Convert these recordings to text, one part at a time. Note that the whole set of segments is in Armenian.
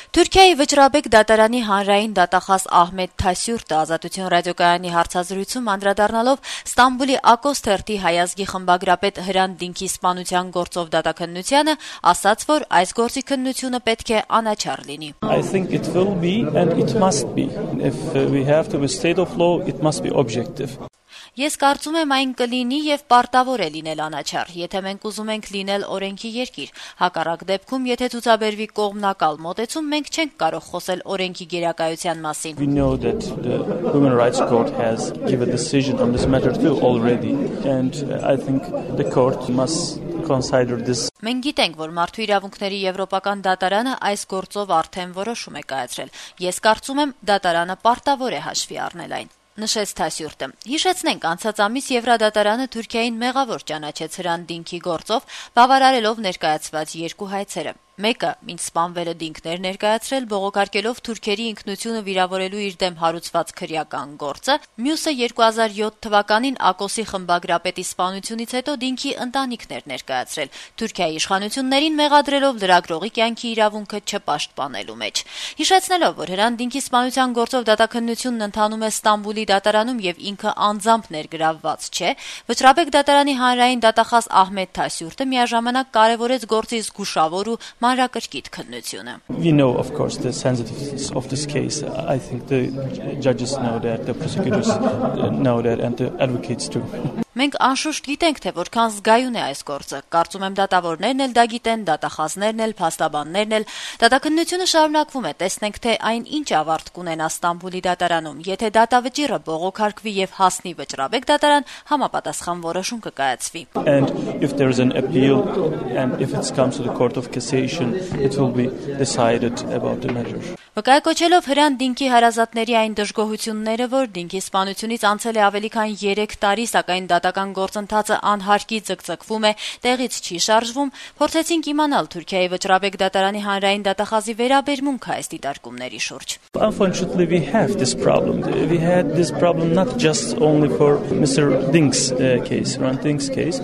Թուրքիայի վճռաբեկ դատարանի հանրային դատախազ Ահմեդ Թասյուրտը Ազատություն ռադիոկայանի հարցազրույցում անդրադառնալով Ստամբուլի Ակոս թերթի հայազգի խմբագրապետ Հրանտ Դինքի սպանության գործով դատաքննությանը ասաց, որ այս գործի քննությունը պետք է անաչառ լինի. I think it will be and it must be. If we have to be state of law, it must be objective. Ես կարծում եմ այն կլինի եւ պարտավոր է լինել անաչառ, եթե մենք ուզում ենք լինել օրենքի երկիր։ Հակառակ դեպքում, եթե ցուցաբերվի կողմնակալ մոտեցում, մենք չենք կարող խոսել օրենքի գերակայության մասին։ We know that the Human Rights Court has given a decision on this matter too already, and I think the court must consider this. Մենք գիտենք, որ Մարդու իրավունքների եվրոպական դատարանը այս գործով արդեն որոշում է կայացրել։ Ես կարծում եմ, դատարանը պարտավոր է հաշվի առնել այն. Նշեց Թասյուրտը. Հիշեցնենք, անցած ամիս Եվրադատարանը Թուրքիային մեղավոր ճանաչեց Հրանտ Դինքի գործով, բավարարելով ներկայացված երկու հայցերը։ Մեկը մինչ սպանվելը Դինքն էր ներկայացրել, բողոքարկելով թուրքերի ինքնությունը վիրավորելու իր դեմ հարուցված քրեական գործը, մյուսը 2007 թվականին Ակոսի խմբագրապետի սպանությունից հետո Դինքի ընտանիքն էր ներկայացրել, Թուրքիայի իշխանություններին մեղադրելով լրագրողի կյանքի իրավունքը չպաշտպանելու մեջ։ Հիշեցնելով, որ Հրանտ Դինքի սպանության գործով դատաքննությունն ընթանում է Ստամբուլի դատարանում եւ ինքը անձամբ ներգրավված չէ, վճռաբեկ դատարանի հանրային դատախազ Ահմեդ Թասյուրտը միաժամանակ կարևորեց գործի զգուշավոր ու մանրակրկիտ քննությունը. We know, of course, the sensitiveness of this case. I think the judges know that, the prosecutors know that, and the advocates too. Մենք անշուշտ գիտենք, թե որքան զգայուն է այս գործը։ Կարծում եմ դատավորներն էլ դա գիտեն, դատախազներն էլ, փաստաբաններն էլ։ Դատաքննությունը շարունակվում է, տեսնենք, թե այն ինչ ավարտ կունենա Ստամբուլի դատարանում։ Եթե դատավճիռը բողոքարկվի եւ հասնի վճռաբեկ դատարան, համապատասխան որոշում կկայացվի։ And if there is an appeal and if it comes to the court of cassation, it will be decided about the measure. Վկայակոչելով Հրանտ Դինքի հարազատների այն դժգոհությունները, որ Դինքի սպանությունից անցել է ավելի քան 3 տարի, սակայն դատական գործընթացը անհարկի ձգձգվում է, տեղից չի շարժվում, փորձեցինք իմանալ Թուրքիայի վճռաբեկ դատարանի հանրային դատախազի վերաբերմունքը այս դիտարկումների շուրջ. Unfortunately, we have this problem. We had this problem not just only for Mr. Dink's case, Hrant Dink's case.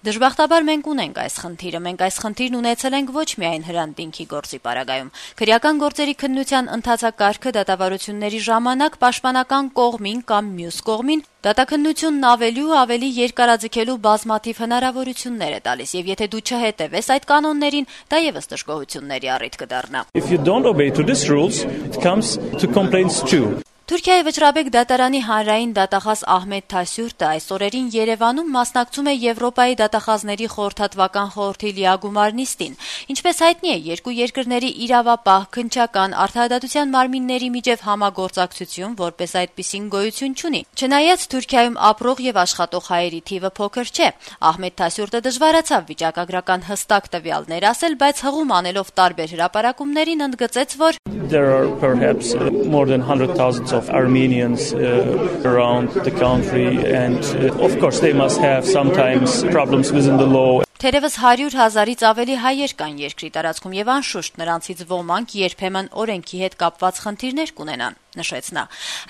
Դժբախտաբար մենք ունենք այս խնդիրը, մենք այս խնդիրն ունեցել ենք ոչ միայն Հրանտ Դինքի գործի պարագայում։ Քրեական գործերի քննության ընթացակարգը դատավարությունների ժամանակ պաշտպանական կողմին կամ մյուս կողմին դատաքննությունն ավելի ու ավելի երկարաձգելու բազմաթիվ հնարավորություններ է տալիս, եւ եթե դու չհետևես այդ կանոններին, դա եւս դժգոհությունների առիթ կդառնա։ If you don't obey to these rules, it comes to complaints too. Թուրքիայի վճռաբեկ դատարանի հանրային դատախազ Ահմեդ Թասյուրտը այս օրերին Երևանում մասնակցում է Եվրոպայի դատախազների խորհրդատվական խորհրդի լիագումար նիստին։ Ինչպես հայտնի է, երկու երկրների իրավապահ, քննչական, արդարադատության մարմինների միջև համագործակցություն որպես այդպիսին գոյություն չունի։ Չնայած Թուրքիայում ապրող եւ աշխատող հայերի թիվը փոքր չէ, Ահմեդ Թասյուրտը դժվարացավ վիճակագրական հստակ տվյալներ ասել, բայց հղում անելով տարբեր հրապարակումներին ընդգծեց, որ There are perhaps more than 100,000 of Armenians around the country, and of course they must have sometimes problems within the law. Թերևս 100,000-ից ավելի հայեր կան երկրի տարածքում եւ անշուշտ նրանցից ոմանք երբեմն օրենքի հետ կապված խնդիրներ կունենան, նշեց նա։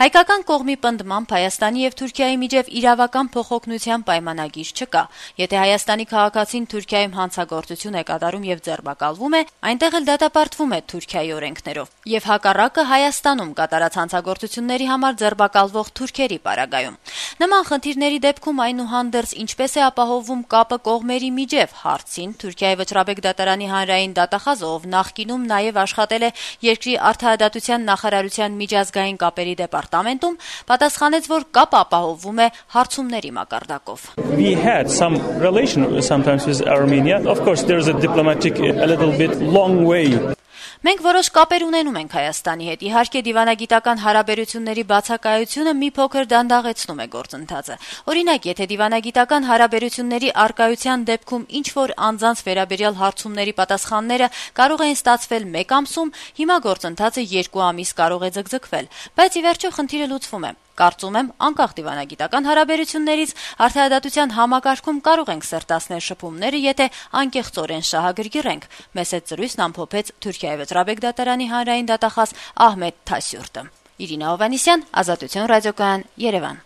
Հայկական կողմի պնդմամբ Հայաստանի եւ Թուրքիայի միջև իրավական փոխօգնության պայմանագիր չկա։ Եթե Հայաստանի քաղաքացին Թուրքիայում հանցագործություն է կատարում եւ ձերբակալվում է, այնտեղ էլ դատապարտվում է Թուրքիայի օրենքներով։ Եվ հակառակը Հայաստանում կատարած հանցագործությունների համար ձերբակալվող թուրքերի պարագայում։ Նման խնդիրների դեպքում այնուհանդերձ ինչպես է ապահովվում կապը կողմերի միջև հարցին Թուրքիայի վճռաբեկ դատարանի հանրային դատախազը, ով նախկինում նաև աշխատել է երկրի արդարադատության նախարարության միջազգային կապերի դեպարտամենտում, պատասխանեց, որ կապը ապահովվում է հարցումների մակարդակով. We had some relation sometimes with Armenia. Of course, there is a diplomatic a little bit long way. Մենք որոշ կապեր ունենում ենք Հայաստանի հետ։ Իհարկե դիվանագիտական հարաբերությունների բացակայությունը մի փոքր դանդաղեցնում է գործընթացը։ Օրինակ, եթե դիվանագիտական հարաբերությունների արկայության դեպքում ինչ որ անձանց վերաբերյալ հարցումների պատասխանները կարող են ստացվել 1 ամսում, հիմա գործընթացը 2 ամիս կարող է ձգձգվել, բայց ի վերջո խնդիրը լուծվում է։ Կարծում եմ, անկախ դիվանագիտական հարաբերություններից արդարադատության համակարգում կարող ենք սերտացնել շփումները, եթե անկեղծորեն շահագրգռենք, մեծ զրույցն ամփոփեց Թուրքիայի վճռաբեկ դատարանի հանրային դատախազ Ահմեդ Թասյուրտը։ Իրինա Հովհաննիսյան, Ազատություն ռադիոկայան, Երևան։